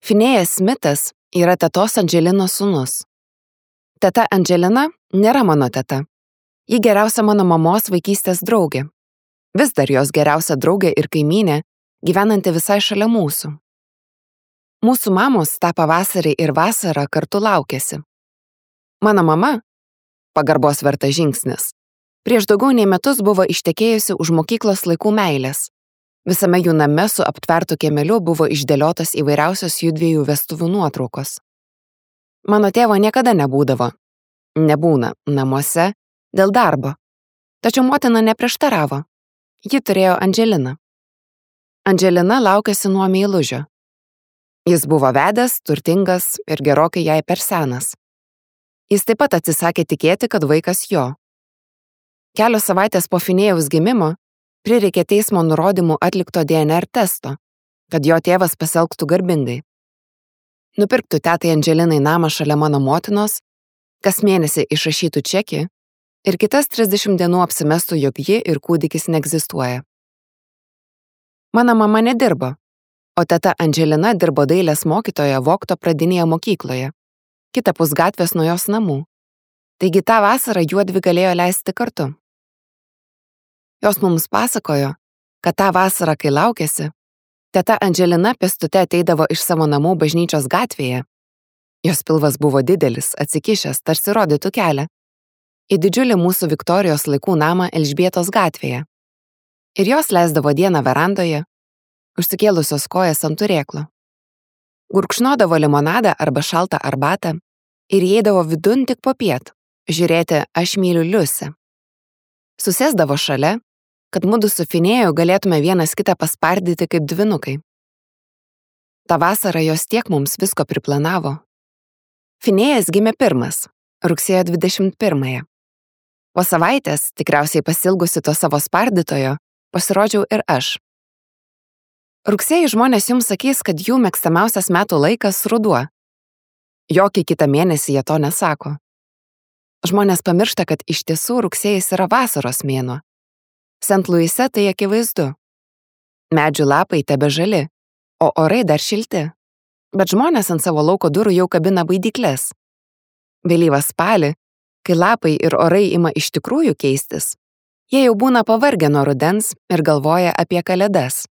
Finėjas Smitas yra tetos Andželinos sūnus. Teta Andželina nėra mano teta. Ji geriausia mano mamos vaikystės draugė. Vis dar jos geriausia draugė ir kaimynė, gyvenanti visai šalia mūsų. Mūsų mamos tą pavasarį ir vasarą kartu laukėsi. Mano mama, pagarbos vertas žingsnis, prieš daugiau nei metus buvo ištekėjusi už mokyklos laikų meilės. Visame jų name su aptvertu kiemeliu buvo išdėliotas įvairiausios jųdviejų vestuvių nuotraukos. Mano tėvo niekada nebūdavo. Nebūna namuose dėl darbo. Tačiau motina neprieštaravo. Ji turėjo Andželiną. Andželina laukėsi nuo meilužio. Jis buvo vedęs, turtingas ir gerokai jai per senas. Jis taip pat atsisakė tikėti, kad vaikas jo. Kelios savaitės po Finėjaus gimimo prireikė teismo nurodymų atlikto DNR testo, kad jo tėvas pasielgtų garbingai. Nupirktų tetai Andželinai namą šalia mano motinos, kas mėnesį išrašytų čekį ir kitas 30 dienų apsimestų, jog ji ir kūdikis neegzistuoja. Mano mama nedirbo, o teta Andželina dirbo dailės mokytoja Vogto pradinėje mokykloje, kitapus gatvės nuo jos namų. Taigi tą vasarą juodvi galėjo leisti kartu. Jos mums pasakojo, kad tą vasarą, kai laukėsi, teta Andželina pėstute ateidavo iš savo namų bažnyčios gatvėje. Jos pilvas buvo didelis, atsikišęs, tarsi rodytų kelią, į didžiulį mūsų Viktorijos laikų namą Elžbietos gatvėje. Ir jos leisdavo dieną verandoje, užsikėlusios kojas ant turėklo. Gurkšnodavo limonadą arba šaltą arbatą ir įeidavo vidun tik popiet, žiūrėti Aš myliu Liusę. Susėsdavo šalia, kad mudu su Finėju galėtume vienas kitą paspardyti kaip dvynukai. Ta vasara jos tiek mums visko priplanavo. Finėjas gimė pirmas, rugsėjo 21. Po savaitės, tikriausiai pasilgusi to savo spardytojo, pasirodžiau ir aš. Rugsėjį žmonės jums sakys, kad jų mėgstamiausias metų laikas ruduo. Jokį kitą mėnesį jie to nesako. Žmonės pamiršta, kad iš tiesų rugsėjis yra vasaros mėnuo. Sent Luise tai akivaizdu. Medžių lapai tebe žali, o orai dar šilti. Bet žmonės ant savo lauko durų jau kabina baidyklės. Vėlyvą spalį, kai lapai ir orai ima iš tikrųjų keistis, jie jau būna pavargę nuo rudens ir galvoja apie kalėdas.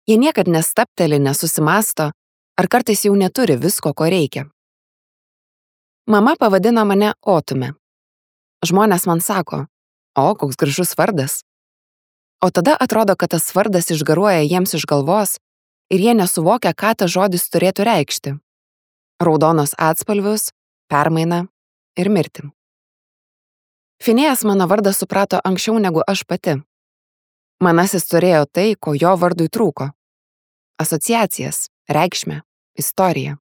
Jie niekad nestapteli, nesusimasto, ar kartais jau neturi visko, ko reikia. Mama pavadino mane Otume. Žmonės man sako, o, koks gražus vardas. O tada atrodo, kad tas vardas išgaruoja jiems iš galvos ir jie nesuvokia, ką tas žodis turėtų reikšti. Raudonos atspalvius, permainą ir mirtį. Finėjas mano vardą suprato anksčiau negu aš pati. Manasis turėjo tai, ko jo vardui trūko. Asociacijas, reikšmę, istoriją.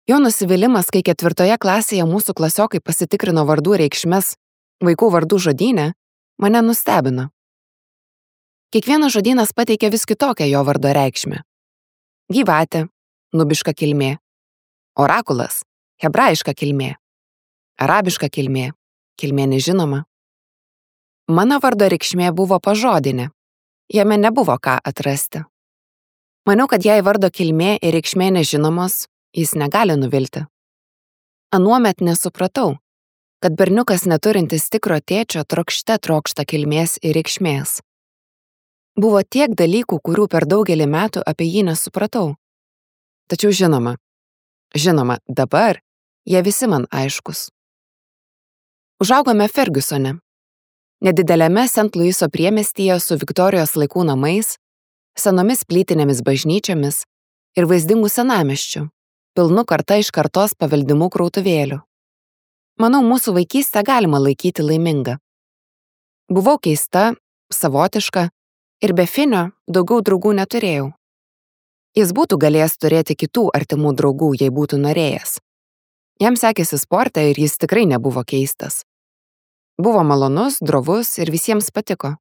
Jo nusivylimas, kai 4 klasėje mūsų klasiokai pasitikrino vardų reikšmes vaikų vardų žodyne, mane nustebino. Kiekvienas žodynas pateikė vis kitokią jo vardo reikšmę. Gyvatė, nubiška kilmė. Orakulas, hebrajiška kilmė. Arabiška kilmė, kilmė nežinoma. Mano vardo reikšmė buvo pažodinė. Jame nebuvo ką atrasti. Maniau, kad jei vardo kilmė ir reikšmė nežinomos, jis negali nuvilti. Anuomet nesupratau, kad berniukas neturintis tikro tėčio trokšta kilmės ir reikšmės. Buvo tiek dalykų, kurių per daugelį metų apie jį nesupratau. Tačiau žinoma, dabar jie visi man aiškus. Užaugome Fergusone, nedideliame Sent Luiso priemiestyje su Viktorijos laikų namais, senomis plytinėmis bažnyčiomis ir vaizdingų senamiesčių, pilnu karta iš kartos paveldimų krautuvėlių. Manau, mūsų vaikystę galima laikyti laimingą. Buvau keista, savotiška ir be Finio daugiau draugų neturėjau. Jis būtų galėjęs turėti kitų artimų draugų, jei būtų norėjęs. Jam sekėsi sporte ir jis tikrai nebuvo keistas. Buvo malonus, drovus ir visiems patiko.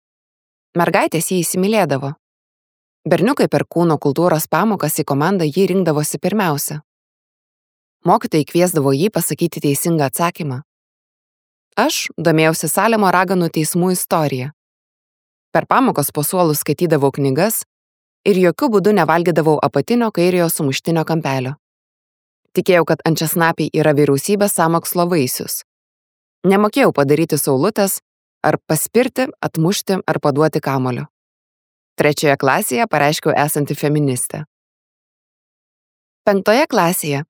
Mergaitės jį įsimylėdavo. Berniukai per kūno kultūros pamokas į komandą jį rinkdavosi pirmiausia. Mokytojai kviesdavo jį pasakyti teisingą atsakymą. Aš domėjausi Salemo raganų teismų istoriją. Per pamokas po suolus skaitydavau knygas, ir jokių būdų nevalgydavau apatinio kairiojo sumuštinio kampelio. Tikėjau, kad ančiasnapiai yra vyriausybės sąmokslo vaisius. Nemokėjau padaryti saulutės, ar paspirti, atmušti ar paduoti kamuolio. 3 klasėje pareiškiau esanti feministė. 5 klasėje,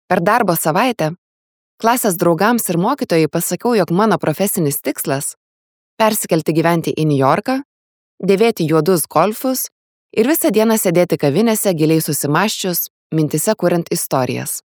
per darbo savaitę, klasės draugams ir mokytojai pasakiau, jog mano profesinis tikslas – persikelti gyventi į Niujorką, dėvėti juodus golfus ir visą dieną sėdėti kavinėse giliai susimąsčius, mintise kuriant istorijas.